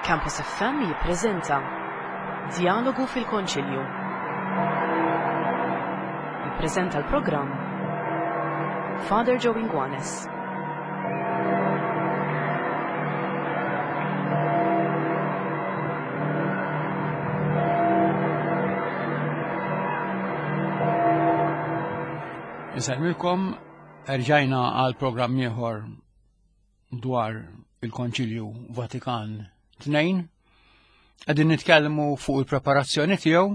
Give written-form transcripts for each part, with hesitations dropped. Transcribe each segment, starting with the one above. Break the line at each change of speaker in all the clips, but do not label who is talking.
Campus FM jippreżenta Djalogu fil-Konċilju. Jippreżenta l-programm Father Joe Inguanes.
Insellmilkom, erġajna għal programm ieħor dwar il-Konċilju Vatikan 2. Qegħdin nitkellmu fuq il-preparazzjoni tiegħu,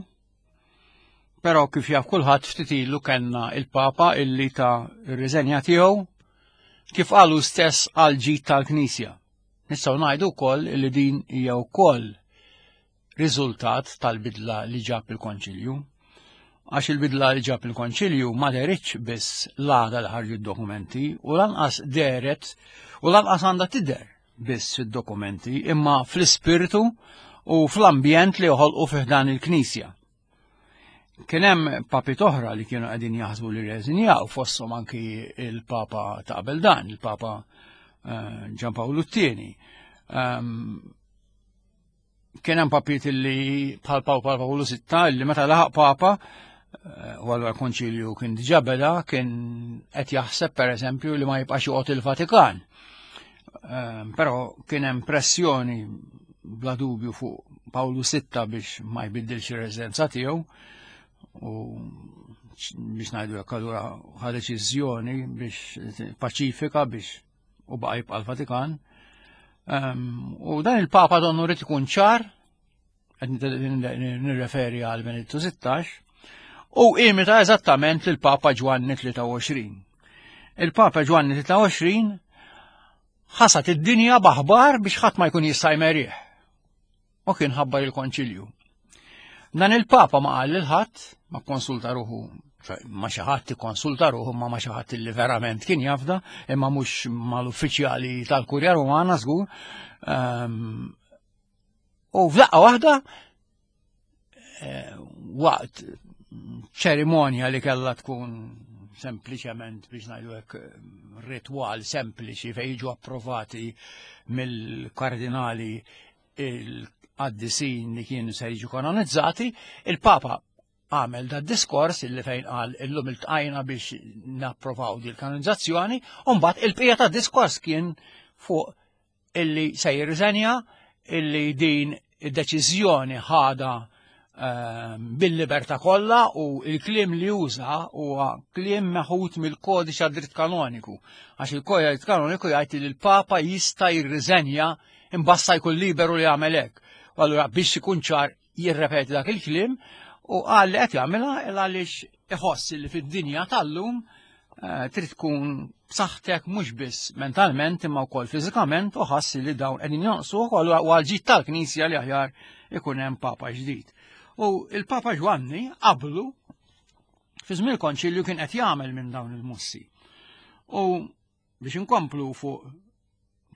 però kif jaf kulħadd ftit ilu kellna il-Papa illi ta' ir-riżenja tiegħu kif qalu stess għal ġid tal-Knisja. Nistgħu ngħidu wkoll li din hija wkoll riżultat tal-bidla li ġab il-Konċilju. Għax il-bidla li ġab il-Konċilju ma deritx biss l-għada li ħarġu d-dokumenti u lanqas deret u lanqas għandha tidher biss fid-dokumenti imma fl-ispirtu u fl-ambjent li joħolqu fih dan il-Knisja. Kien hemm papi toħra li kienu qegħdin jaħsbu li reżinjaw fosthom anki il-Papa ta' qabel dan, il-Papa eh, Ġan Pawlu t-tieni. Ehm, kien hemm papiet li bħal Papa Pawlu Sitta li meta laħaq Papa eh, u allura konċilju kien diġà beda kien qed jaħseb pereżempju li ma jibqax joqgħod il-Vatikan. Eh, però kien hemm pressjoni bla dubju fuq Pawlu Sitta biex ma jbiddilx ir-residenza tiegħu u biex ngħidu hekk allura ħa deċiżjoni biex paċifika biex u baqa' jibqa' l-Vatikan. Ehm, u dan il-Papa donnu rrid ikun ċar, qed nirreferi għal Benedittu 16, u imita eżattament lill-Papa Ġwanni 23. Il-Papa Ġwanni 23 ħasat id-dinja baħbar biex ħadd ma jkun jista' jmerih. u kien ħabbar il-konċilju. Dan il-Papa ma qal lil ħadd, ma konsulta ruħu ma xi ħadd ikkonsulta ruħu ma ma xi ħadd li verament kien jafda, imma mhux mal-uffiċjali tal-Kurja Rumana żgur. Ehm, u f'daqqa waħda eh, waqt ċerimonja li kellha tkun sempliċement biex ngħidu hekk ritwal sempliċi fejn jiġu approvati mill-kardinali il-qaddisin li kienu se jiġu kanonizzati, il-Papa għamel da diskors illi fejn qal illum iltqajna biex napprovaw di l-kanonizzazzjoni, u mbagħad il-bqija ta' diskors kien fuq illi se jirriżenja illi din id-deċiżjoni ħada ehm, bil-libertà kollha u il-kliem li uża huwa kliem meħud mill-kodiċ għad-dritt kanoniku. Għax il-kodiċ għad-dritt kanoniku jgħid li l-Papa jista' jirriżenja imbassa jkun liberu li jagħmel hekk. U allura biex ikun ċar jirrepeti dak il-kliem u qal li qed jagħmilha għaliex iħoss li fid-dinja tal-lum eh, trid tkun b'saħħtek mhux biss mentalment imma wkoll fiżikament u ħass li dawn qegħdin jonqsu wkoll u għal tal-Knisja li aħjar ikun hemm Papa ġdid. U il-Papa Ġwanni qablu fi żmien il-konċilju kien qed jagħmel minn dawn il-mussi. U biex inkomplu fuq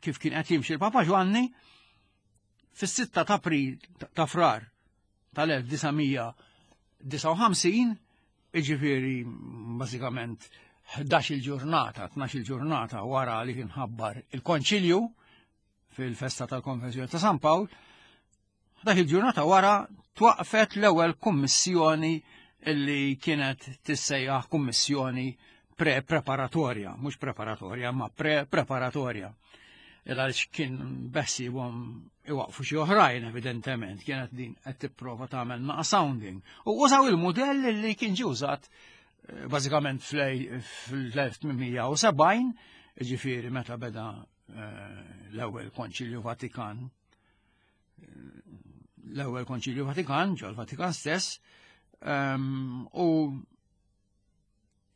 kif kien qed jimxi l-Papa Ġwanni, fis-6 ta' April ta' Frar tal-1959, iġifieri bażikament 11 il-ġurnata, 12 il-ġurnata wara li kien ħabbar il-Konċilju fil-festa tal-Konvenzjoni ta' San Pawl, Dak il-ġurnata wara twaqfet l-ewwel kummissjoni illi kienet tissejjaħ kummissjoni pre-preparatorja, mhux preparatorja, ma pre-preparatorja. Għaliex kien beħsibhom iwaqfu xi oħrajn evidentement, kienet din qed tipprova tagħmel naqa' sounding. U użaw il-mudell li kien ġie użat eh, bażikament fl-1870, ġifieri meta beda eh, l-ewwel Konċilju Vatikan l-ewwel Konċilju Vatikan, ġol Vatikan stess, ehm, u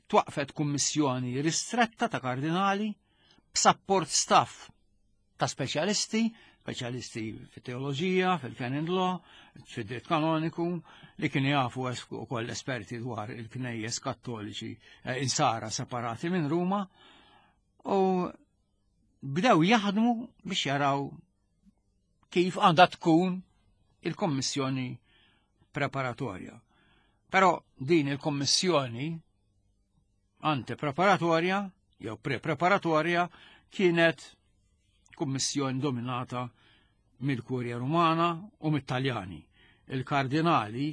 twaqfet kummissjoni ristretta ta' kardinali b'sapport staff ta' speċjalisti, speċjalisti fit-teoloġija, fil-canon law, fid-dritt kanoniku, li kienu jafu ukoll esperti dwar il-knejjes kattoliċi eh, insara separati minn Ruma, u bdew jaħdmu biex jaraw kif għandha tkun il-kommissjoni preparatorja. Però din il-kommissjoni antepreparatorja jew pre-preparatorja kienet kummissjoni dominata mill-Kurja Rumana u mit-Taljani. Il-kardinali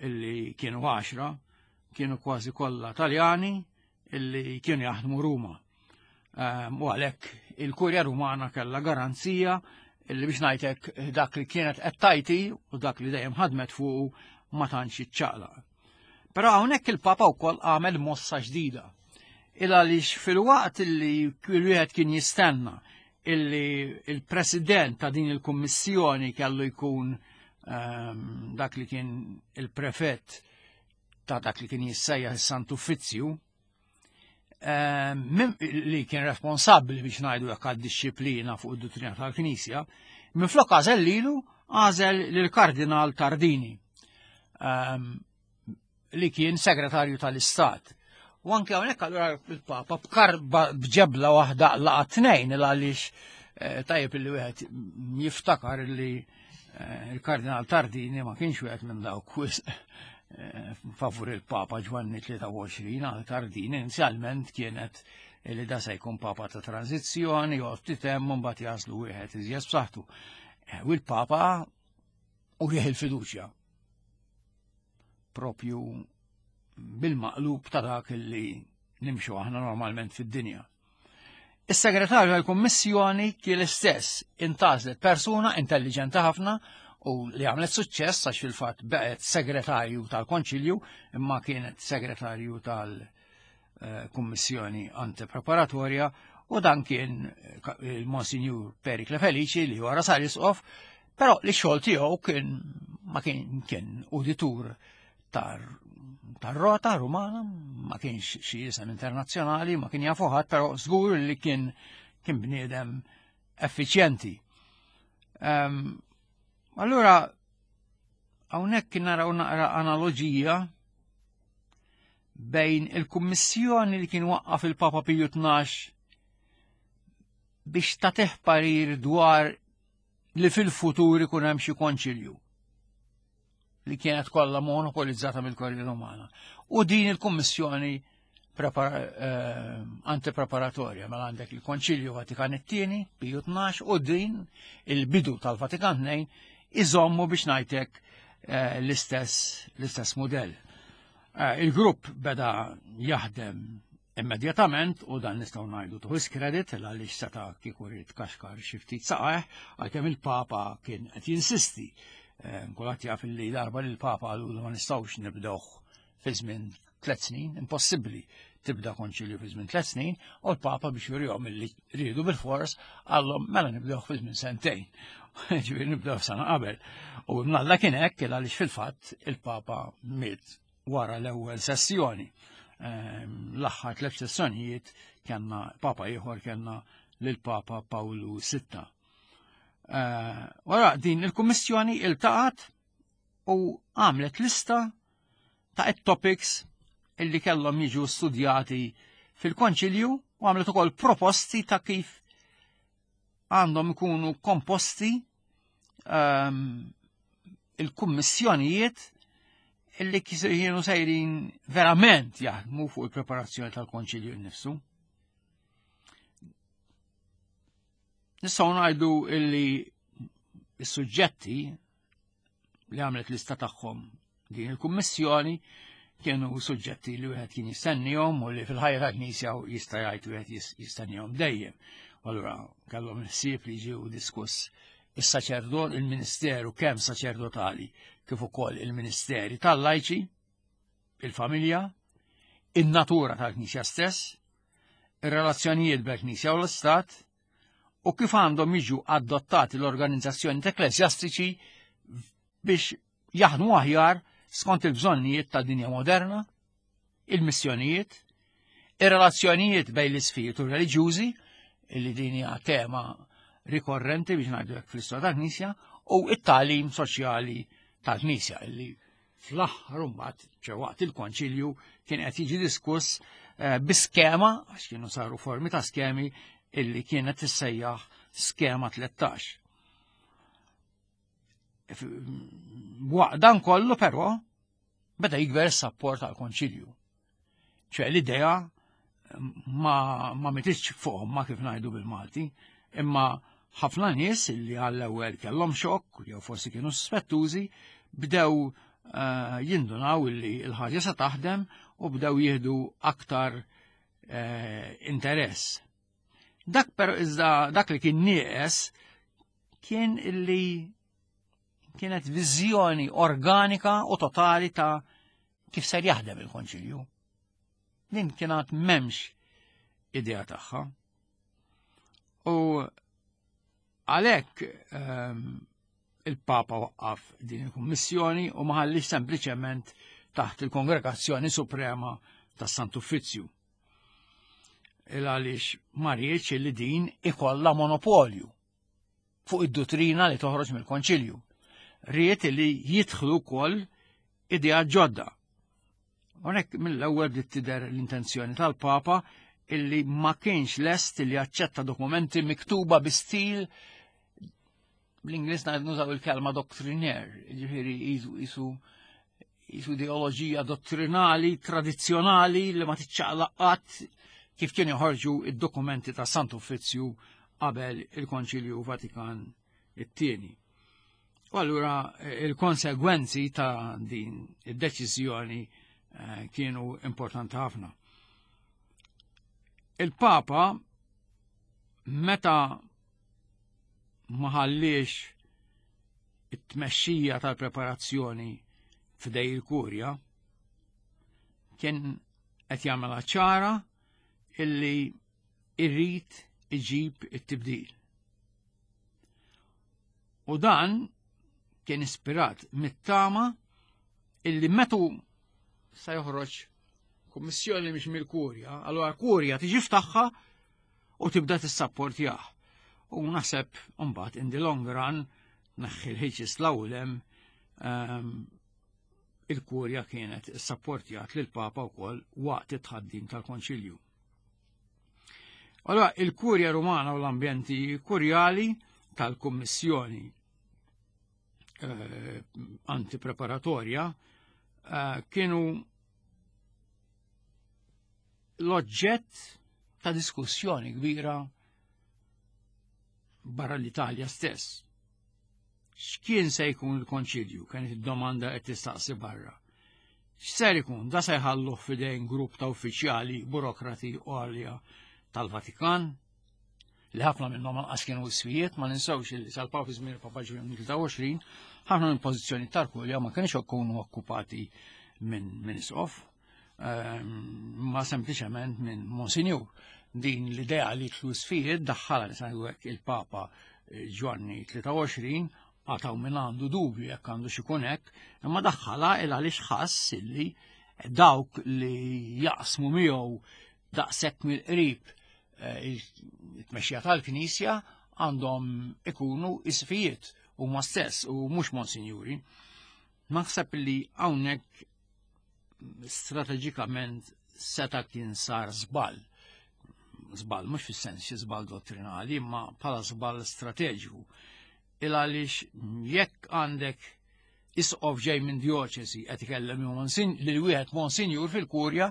illi kienu għaxra kienu kważi kollha Taljani illi kienu jaħdmu Ruma. Ehm, u għalhekk il-Kurja Rumana kellha garanzija illi biex ngħidlek dak li kienet qed tajti u dak li dejjem ħadmet fuqu ma tantx iċċaqlaq. Però hawnhekk il-Papa wkoll għamel mossa ġdida. Il għaliex fil-waqt illi wieħed kien jistenna illi il-president ta' din il-kummissjoni kellu jkun ehm, dak li kien il-prefett ta' dak li kien jissejjaħ is-Sant Uffizzju, ehm, li kien responsabbli biex ngħidu hekk għad-dixxiplina fuq id-duttrina tal-Knisja, minflok għażel lilu għażel lill-Kardinal Tardini ehm, li kien segretarju tal-Istat. U anke hawnhekk allura il-Papa b'karba b'ġebla waħda laqa tnejn il għaliex eh, tajjeb li wieħed jiftakar li eh, il-Kardinal Tardini ma kienx wieħed minn dawk wisq eh, favur il-Papa Ġwanni 23 għal Tardini inizjalment kienet li da se jkun Papa ta' tranzizzjoni, joqgħod ftit hemm u mbagħad jaslu wieħed iżjed b'saħħtu. U l-Papa u il-fiduċja propju bil-maqlub ta' dak li nimxu aħna normalment fid-dinja. Is-segretarju tal-Kummissjoni kien l-istess intażlet persuna intelligenti ħafna u li għamlet suċċess għax fil-fatt beqgħet segretarju tal-Konċilju imma kienet segretarju tal-Kummissjoni Antipreparatorja u dan kien il-Monsinjur Perikle Felici li wara sar isqof, però li xogħol tiegħu kien ma kien kien uditur tar-rota rumana, ma kienx xi isem internazzjonali, ma kien jafu ħadd, però żgur li kien kien bniedem effiċjenti. Um, allura hawnhekk kien naraw naqra analoġija bejn il-kummissjoni li kien waqqaf il-Papa Piju 12 biex tagħtih parir dwar li fil-futur ikun hemm xi konċilju li kienet kollha monopolizzata mill-Korja Rumana. U din il-Kummissjoni eh, antipreparatorja mela għandek il-Konċilju Vatikan it-tieni, Piju 12, u din il-bidu tal-Vatikan 2 iżommu biex ngħidlek eh, l-istess l-istess mudell. Eh, il-grupp beda jaħdem Immedjatament, u dan nistgħu ngħidu to his credit, għaliex seta' kieku ried kaxkar xi ftit saqajh, għalkemm il-Papa kien qed jinsisti. Eh, kulħadd jaf li darba li l-Papa qalu ma nistgħux nibdewh fi żmien tliet snin, impossibbli tibda konċilju fi żmien tliet snin, u l-Papa biex jurihom li riedu bil-fors qallhom mela nibdewh fi żmien sentejn. Ġifieri nibdew sena qabel. U mnalla kien hekk għaliex fil-fatt il-Papa miet wara l-ewwel sessjoni. Ehm, l-aħħar tliet sessjonijiet kellna papa ieħor kellna lil Papa Pawlu VI. Eh, wara din il-kummissjoni iltaqat u għamlet lista ta' topics illi kellhom jiġu studjati fil-konċilju u għamlet ukoll proposti ta' kif għandhom ikunu komposti um, il-kummissjonijiet illi kienu sejrin verament jaħdmu fuq il-preparazzjoni tal-konċilju nnifsu. Nistgħu ngħidu illi s-suġġetti li għamlet lista tagħhom din il-kummissjoni kienu suġġetti li wieħed kien jistennihom u li fil-ħajja tal-Knisja jista' jgħid wieħed jistennihom dejjem. Allura kellhom il-ħsieb li ġew diskuss is-saċerdot, il-ministeru kemm saċerdotali kif ukoll il-ministeri tal-lajċi, il-familja, in-natura tal-Knisja stess, ir-relazzjonijiet bejn-Knisja u l-Istat, u kif għandhom jiġu adottati l-organizzazzjoni ekkleżjastiċi biex jaħdmu aħjar skont il-bżonnijiet ta' dinja moderna, il-missjonijiet, ir-relazzjonijiet bejn l-isfijiet u reliġjużi, illi din hija tema rikorrenti biex ngħidu hekk fl-istorja tal-Knisja, u it-tagħlim soċjali tal-Knisja illi fl-aħħar imbagħad ċe waqt il-konċilju kien qed jiġi diskuss eh, bi skema għax kienu saru formi ta' skemi illi kienet tissejjaħ skema 13. Waqt dan kollu però beda jikber is-sapport għal konċilju. ċe l-idea ma, ma mititx fuq ma kif ngħidu bil-Malti, imma ħafna nies li għall-ewwel kellhom xokk jew forsi kienu suspettużi bdew eh, jindunaw li l-ħaġa se taħdem u bdew jieħdu aktar eh, interess. Dak però iżda dak li kien nieqes kien illi kienet viżjoni organika u totali ta' kif ser jaħdem il-konċilju. Din kienet memx idea tagħha. U għalhekk ehm, il-Papa waqqaf din il-kummissjoni u ma ħallix sempliċement taħt il-Kongregazzjoni Suprema tas-Sant'Uffizzju. Il għaliex ma riedx li din ikollha monopolju fuq id-duttrina li toħroġ mill-Konċilju. Ried li jidħlu wkoll idea ġodda. Hawnhekk mill-ewwel bdiet tidher l-intenzjoni tal-Papa illi ma kienx lest li jaċċetta dokumenti miktuba bi stil bl-Ingliż nużaw il-kelma doctrinaire, ġifieri jisu jisu ideoloġija dottrinali tradizzjonali li ma tiċċaqlaq qatt kif kienu joħorġu id-dokumenti ta' Sant Uffizzju qabel il-Konċilju Vatikan it-tieni. U allura eh, il-konsegwenzi ta' din id-deċiżjoni eh, kienu importanti ħafna. Il-Papa meta ma ħalliex it-tmexxija tal-preparazzjoni f'dej il-kurja kien qed jagħmilha ċara illi irrid iġib it-tibdil. U dan kien ispirat mit-tama illi metu sa joħroġ kummissjoni mhix mill-kurja, allura kurja tiġi ftaħħa u tibda tissapportjah. U naħseb mbagħad in the long run neħħi l-ħiġis l-awlem ehm, il-kurja kienet issapportjat lil papa wkoll waqt it-tħaddim tal-konċilju. Allora, il-Kurja Rumana u l-ambjenti kurjali tal-Kummissjoni eh, antipreparatorja eh, kienu l-oġġett ta' diskussjoni kbira barra l-Italja stess. X'kien se jkun il-konċilju kienet id-domanda qed tistaqsi barra. X'ser ikun da se jħalluh f'idejn grupp ta' uffiċjali burokrati għalja tal-Vatikan li ħafna minnhom anqas kienu iswijiet, ma ninsewx li sal-Papa fi żmien il-Papa Ġwanni 23, ħafna minn pożizzjoni tal-kurja ma kienx ikunu okkupati minn min isqof, ehm, ma sempliċement minn Monsinjur. Din l-idea li tlu sfijiet daħħala li il-Papa eh, Ġwanni 23 għataw minn għandu dubju jekk għandu xikun hekk, imma daħħala il għaliex ħass illi dawk li jaqsmu miegħu daqshekk mill-qrib eh, it-tmexxija tal-Knisja għandhom ikunu isfijiet huma stess u mhux monsinjuri. Naħseb li hawnhekk strateġikament seta' kien sar żball. Żball mhux fis-sens xi żball dottrinali, imma bħala żball strateġiku. Il għaliex jekk għandek isqof ġej minn djoċesi qed ikellem lil wieħed monsinjur fil-kurja,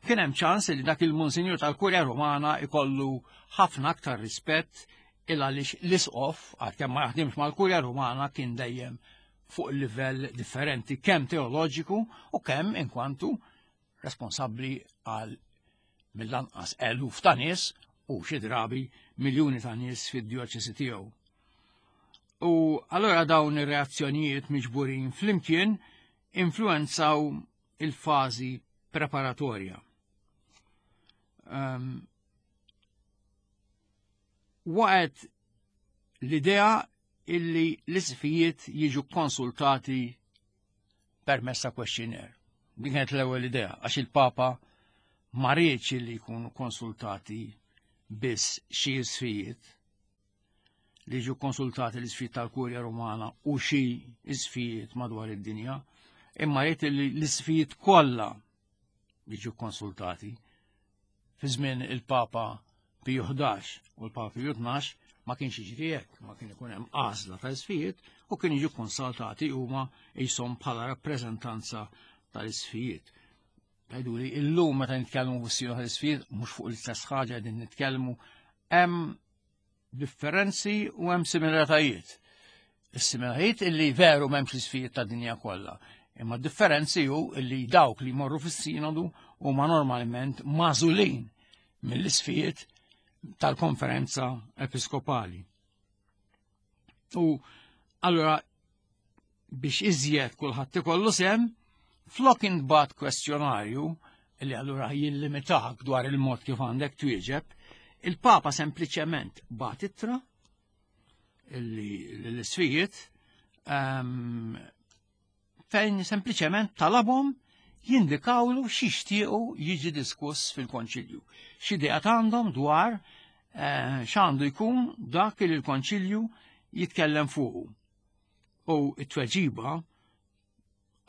kien hemm ċans li dak il-monsinjur tal-kurja Rumana ikollu ħafna aktar rispett il għaliex l-isqof għalkemm ma jaħdimx mal-kurja Rumana kien dejjem fuq livell differenti kemm teoloġiku u kemm inkwantu responsabbli għal mill-anqas eluf ta' nies u xi drabi miljuni ta' nies fid-djoċesi tiegħu. U allura dawn ir-reazzjonijiet miġburin flimkien influenzaw il-fażi preparatorja. Um, waqgħet l-idea illi l-isfijiet jiġu konsultati permezz ta' questionnaire. Din kienet l-ewwel idea għax il-Papa ma riedx li jkunu konsultati biss xi isfijiet li jiġu konsultati l-isfijiet tal-Kurja Rumana u xi isfijiet madwar id-dinja, imma ried li l-isfijiet kollha jiġu konsultati. Fi żmien il-Papa Piju 11 u l-Papa Piju 12 ma kienx jiġri hekk, ma kien ikun hemm għażla ta' isfijiet u kien jiġu konsultati huma jisom bħala rappreżentanza tal-isfijiet. Tajdu li illum meta nitkellmu fuq is tal-isfijiet mhux fuq l-istess ħaġa qegħdin nitkellmu hemm. differenzi u hemm similaritajiet. Is-similaritajiet illi veru m'hemmx l-isfijiet ta' dinja kollha. Imma differenzi hu illi dawk li jmorru fis-sinodu huma normalment magħżulin mill-isfijiet tal-konferenza episkopali. U allura biex iżjed kulħadd ikollu sem, flok intbagħat kwestjonarju li allura jillimitak dwar il-mod kif għandek twieġeb, il-Papa sempliċement bagħat ittra illi l-isfijiet ehm, fejn sempliċement talabhom jindikawlu x'jixtiequ jiġi diskuss fil-Konċilju. X'idea għandhom dwar eh, x'għandu jkun dak li l-Konċilju jitkellem fuqu. U t-tweġiba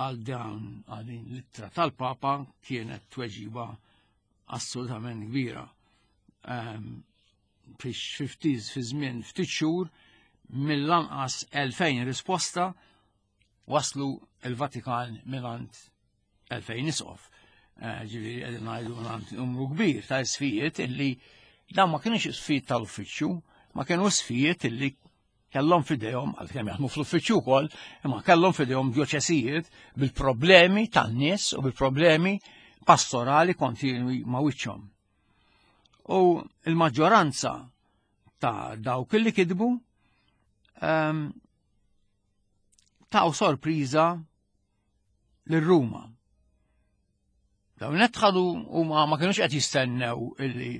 għal dan għal din l-ittra tal-Papa kienet tweġiba assolutament kbira. Ehm, fix ftit fi żmien ftit xhur mill-anqas 2000 risposta waslu il-Vatikan mingħand 2000 isqof. Eh, ġifieri qegħdin ngħidu mingħand numru kbir ta' isfijiet illi dan ma kienx isfijiet tal-uffiċċju, ma kienu isfijiet illi kellhom fidejhom, għalkemm jaħdmu fl-uffiċċju wkoll, imma kellhom fidejhom djoċesijiet bil-problemi tan-nies u bil-problemi pastorali kontinwi ma' wiċċhom. U il-maġġoranza ta' dawk li kidbu um, taw sorpriża lil Ruma. Dawn qed ħadu huma ma kinux qed jistennew illi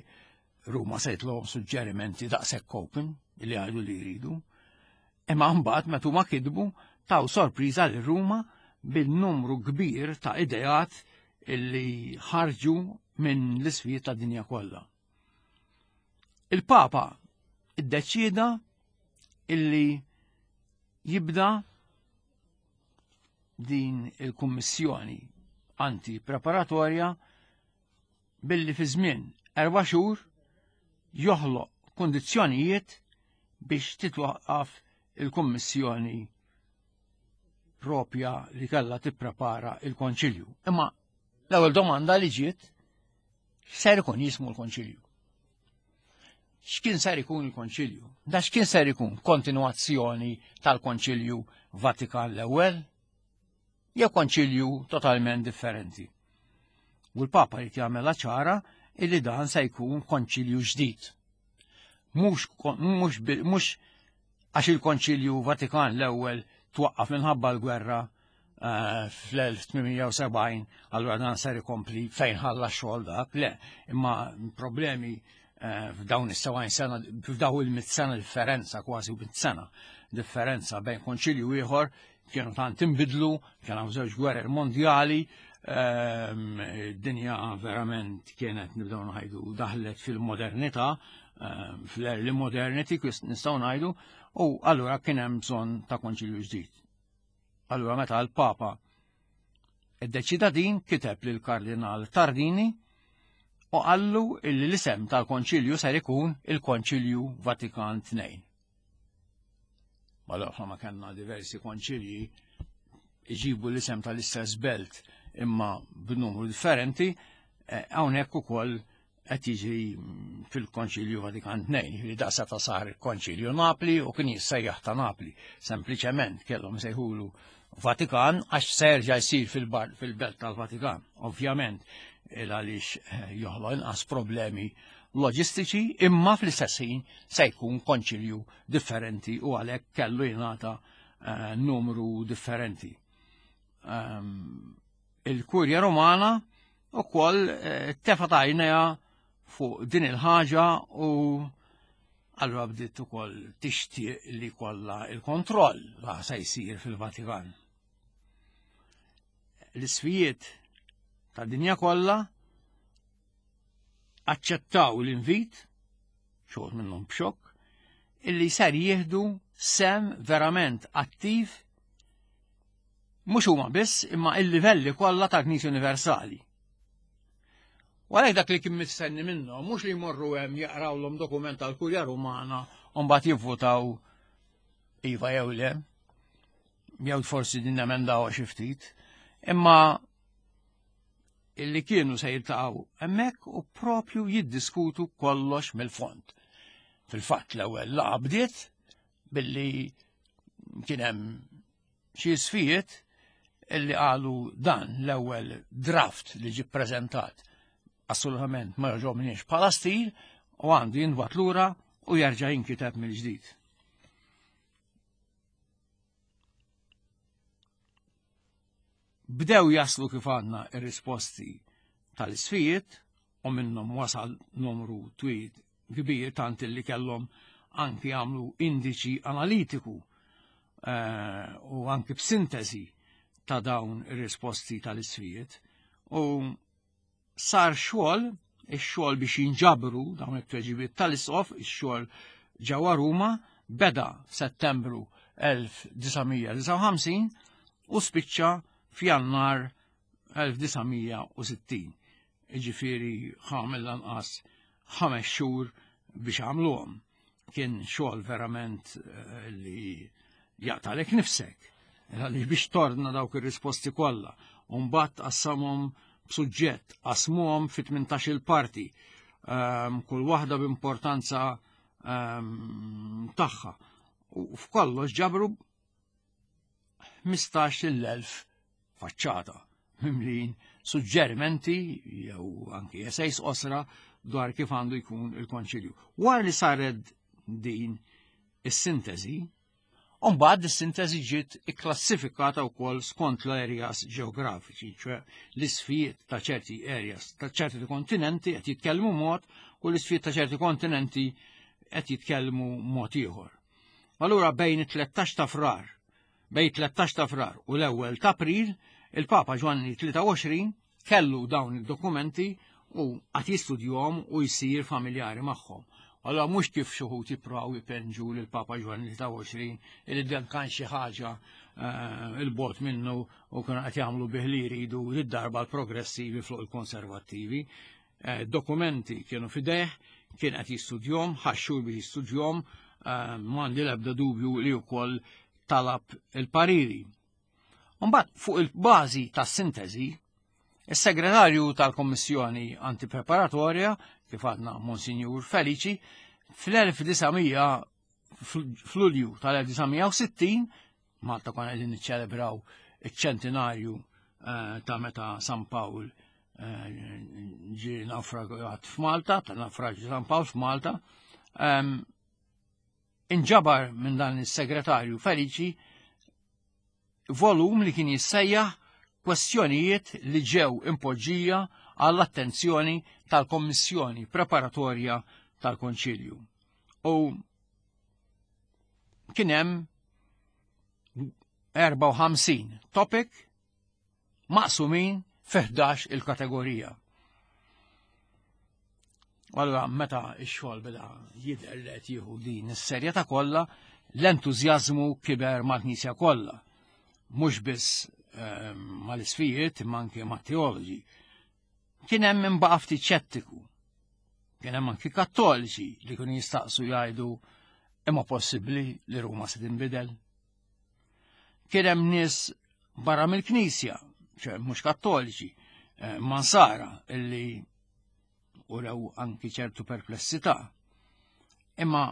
Ruma se jitlhom suġġerimenti daqshekk open illi għajdu li jridu. Imma mbagħad meta huma kidbu taw sorpriża lil Ruma bil-numru kbir ta' ideat illi ħarġu minn l-isfijiet tad dinja kollha. Il-Papa iddeċieda illi jibda din il-kummissjoni anti-preparatorja billi fi żmien erba' xhur joħloq kundizzjonijiet biex titwaqqaf il-kummissjoni propja li kellha tipprepara il-konċilju. Imma l-ewwel domanda li ġiet ser ikun jismu l-konċilju. X'kien ser ikun il-Konċilju? Da x'kien ser ikun kontinuazzjoni tal-Konċilju Vatikan l-ewwel? Jew konċilju totalment differenti. U l-Papa jrid jagħmilha ċara illi dan se jkun konċilju ġdid. Mhux mhux mhux għax il-Konċilju Vatikan l-ewwel twaqqaf minħabba l-gwerra eh, fl-1870, allura dan ser ikompli fejn ħalla xogħol dak, le, imma problemi eh, f'dawn is-70 sena, f'dawn il-mit sena differenza, kważi mit sena differenza bejn konċilju ieħor kienu tant inbidlu, kien hawn żewġ gwerer mondjali, ehm, dinja verament kienet nibdew ngħidu daħlet fil-modernità, ehm, fl-early modernity nistgħu ngħidu, u allura kien hemm bżonn ta' konċilju ġdid. Allura meta l-Papa iddeċida din kiteb lil Kardinal Tardini u qallu illi l-isem tal-konċilju ser ikun il-Konċilju Vatikan II. Mal-oħra ma kellna diversi konċilji iġibu l-isem tal-istess belt imma b'numru differenti, eh, hawnhekk ukoll qed jiġi fil-Konċilju Vatikan II, li daqsa ta' sar il-Konċilju Napli u kien jissejjaħ ta' Napli. Sempliċement kellhom sejħulu Vatikan għax serġa' jsir fil-belt tal-Vatikan. Ovvjament, il għaliex eh, joħloq inqas problemi loġistiċi imma fl-istess ħin se jkun konċilju differenti u għalhekk kellu jingħata eh, numru differenti. Ehm, il-Kurja Romana ukoll eh, tefa' għajnejha fuq din il-ħaġa u allura bdiet ukoll tixtieq li kollha il-kontroll la se jsir fil-Vatikan. L-isfijiet ta' dinja kollha aċċettaw l-invit, xogħol minnhom b'xokk, illi ser jieħdu sem verament attiv mhux huma biss imma il-livelli kollha tal-Knisja Universali. U għalhekk dak li kien mistenni minnhom mhux li jmorru hemm jaqrawlhom dokument tal-Kurja Rumana u mbagħad jivvutaw iva jew le, jew forsi din emendaw xi ftit, imma illi kienu se jiltaqgħu hemmhekk u propju jiddiskutu kollox mill-fond. Fil-fatt l-ewwel laqgħa bdiet billi kien hemm xi sfijiet illi qalu dan l-ewwel draft li ġie ppreżentat assolutament ma jogħġobniex bħala stil u għandu jintbagħat lura u jerġa' jinkiteb mill-ġdid. Bdew jaslu kif għandna ir-risposti tal-isfijiet u minnhom wasal numru twil kbir tant li kellhom anki għamlu indiċi analitiku eh, u anki b'sintesi ta' dawn ir-risposti tal-isfijiet. U sar xogħol, ix-xogħol biex jinġabru dawn it-tweġibiet tal-isqof, ix-xogħol ġewwa Ruma beda f'Settembru 1959 u spiċċa f'Jannar 1960. Jiġifieri ħa mill-anqas 5 xhur biex għamluhom. Kien xogħol verament eh, li jaqtalek nifsek. Għaliex biex torna dawk ir-risposti kollha u mbagħad qassamhom b'suġġett, qasmuhom fi 18-il parti, ehm, kull waħda b'importanza ehm, tagħha. U f'kollox ġabru 15,000 faċċata mimlin suġġerimenti jew anki essays qosra dwar kif għandu jkun il-konċilju. Wara li saret din is-sintesi, Umbagħad is-sintesi ġiet ikklassifikata wkoll skont l-areas ġeografiċi, ċwe l-isfijiet ta' ċerti areas ta' ċerti kontinenti qed jitkellmu mod u l-isfijiet ta' ċerti kontinenti qed jitkellmu mod ieħor. Allura bejn it-13 ta' Frar, bejn 13 ta' Frar u l-ewwel ta' April, il-Papa Ġwanni 23 kellu dawn id-dokumenti u għad jistudjhom u jsir familjari magħhom. Allora mhux kif xi wħud jippruvaw jpenġu lil Papa Ġwanni 23 li dan kan xi ħaġa eh, il-bot minnu u kienu qed jagħmlu bih li jridu lid-darba l-progressivi fuq il-konservattivi. Eh, dokumenti kienu fideh, kien qed jistudjom, ħaxxur biex jistudjom, eh, m'għandi l-ebda dubju li wkoll talab il-pariri. Mbagħad fuq il-bażi tas-sintesi, is-segretarju tal-Kommissjoni Antipreparatorja, kif għadna Monsinjur Felici, fl-1900 fl-Lulju tal-1960 Malta konna qegħdin niċċelebraw iċ-ċentinarju eh, ta' meta San Pawl eh, ġie nawfragat f'Malta, ta' nawfraġġju San Pawl f'Malta. Ehm, inġabar minn dan is-segretarju Feliċi volum li kien jissejjaħ kwestjonijiet li ġew impoġġija għall-attenzjoni tal-Kommissjoni Preparatorja tal-Konċilju. U kien hemm 54 topic maqsumin fi 11 il-kategorija. Allora meta x-xogħol beda jidher li qed jieħu din is-serjetà kollha, l-entużjażmu kiber mal-Knisja kollha. Mhux biss ehm, mal-isfijiet imma anke mat-teoloġi. Kien hemm min baqa' ftit xettiku. Kien hemm anki kattoliċi li kienu jistaqsu jgħidu imma possibbli li Ruma se tinbidel. Kien hemm nies barra mill-Knisja, ċe mhux kattoliċi, eh, mansara illi urew anki ċertu perplessità. Imma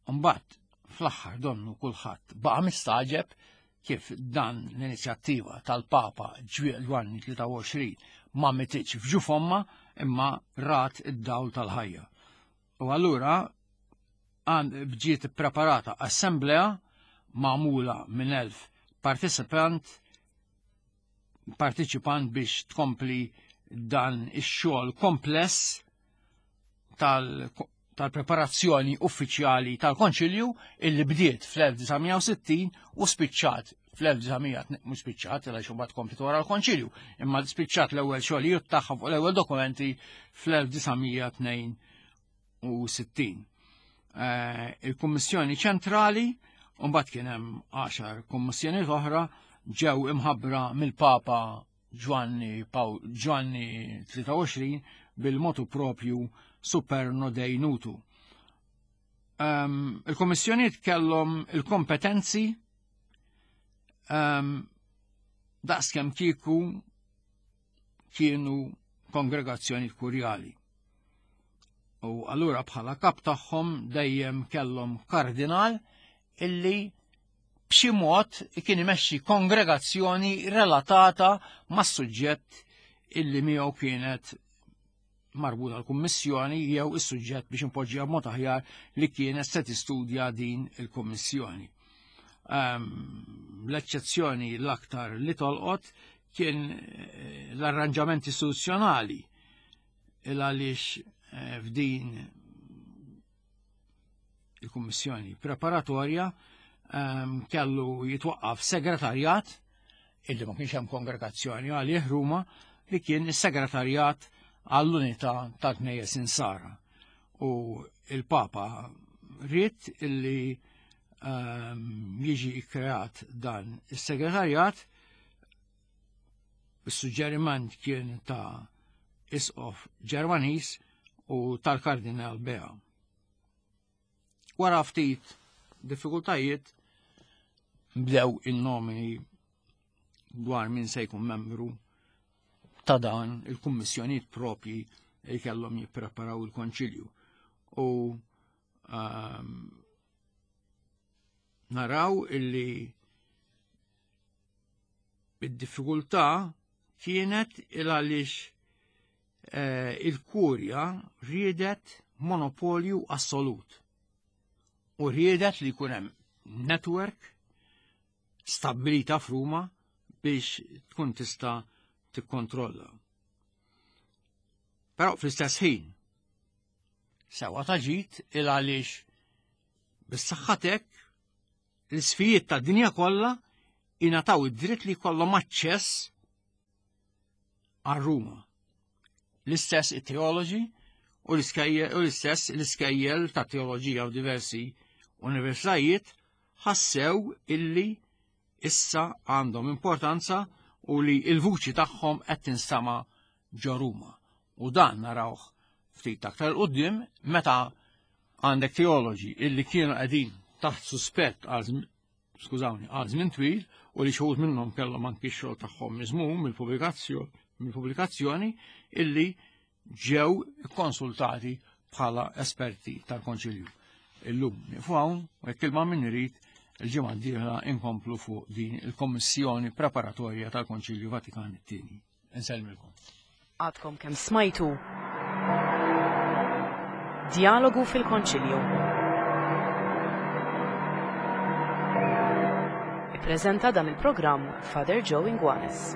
mbagħad fl-aħħar donnu kulħadd baqa' mistaġeb kif dan l-inizjattiva tal-Papa Ġwanni 23 ma mititx f'ġuf omma imma rat id-dawl tal-ħajja. U allura bġiet preparata assemblea magħmula minn 1000 participant partiċipant biex tkompli dan ix-xogħol kompless tal-preparazzjoni uffiċjali tal-Konċilju illi bdiet fl-1960 u spiċċat fl-1900 mhux spiċċat għaliex imbagħad komplet wara l-Konċilju, imma spiċċat l-ewwel xogħlijiet tagħha fuq l-ewwel dokumenti fl-1962. Eh, il-Kummissjoni Ċentrali u mbagħad kien hemm għaxar kummissjonijiet oħra ġew imħabbra mill-Papa Ġwanni Pawl Ġwanni 23 bil-motu propju Superno Dei Nutu. Um, il-kommissjoniet kellhom il-kompetenzi um, daqskemm kieku kienu kongregazzjoni kurjali. U allura bħala kap tagħhom dejjem kellhom kardinal illi b'xi mod kien imexxi kongregazzjoni relatata mas-suġġett illi miegħu kienet marbuta l-kummissjoni jew is-suġġett biex impoġġiha b'mod aħjar li kienet se tistudja din il-kummissjoni. Ehm, l-eċċezzjoni l-aktar li tolqot kien eh, l-arranġament istituzzjonali il għaliex eh, f'din il-kummissjoni preparatorja ehm, kellu jitwaqqaf segretarjat illi ma kienx hemm kongregazzjoni għalih Ruma li kien is-segretarjat għall-unità tal-Knejjes Insara. U il-Papa ried illi ehm, jiġi kreat dan is-segretarjat. Is-suġġeriment kien ta' isqof Ġermaniż u tal-Kardinal Bea. Wara ftit diffikultajiet bdew in-nomini dwar min se jkun membru ta' dan il-kummissjonijiet propji li kellhom jippreparaw il-konċilju. U um, naraw illi id-diffikultà kienet il għaliex eh, il-kurja riedet monopolju assolut u riedet li jkun hemm network stabbilita f'Ruma biex tkun tista' tikkontrolla. Però fl-istess ħin sewa ta' ġid il għaliex bis-saħħatek l-isfijiet tad-dinja kollha ingħataw id-dritt li jkollhom aċċess għal Ruma. L-istess it-teoloġi u l-istess l-iskejjel ta' teoloġija u diversi universitajiet ħassew illi issa għandhom importanza u li il-vuċi tagħhom qed tinstama' ġo Ruma. U dan narawh ftit aktar qudiem meta għandek teoloġi illi kienu qegħdin taħt suspett għal skużawni, għal żmien twil u li xi minnhom kellhom anki x-xogħol tagħhom miżmum mill-pubblikazzjoni illi ġew konsultati bħala esperti tal-Konċilju. Illum nieqfu hawn u jekk ilma min irid il-ġimgħa d-dieħla inkomplu fuq din il-Kommissjoni Preparatorja tal-Konċilju Vatikan it-tieni. Insellmilkom.
Għadkom kemm smajtu Djalogu fil-Konċilju. Ippreżenta dan il-programm Father Joe Inguanes.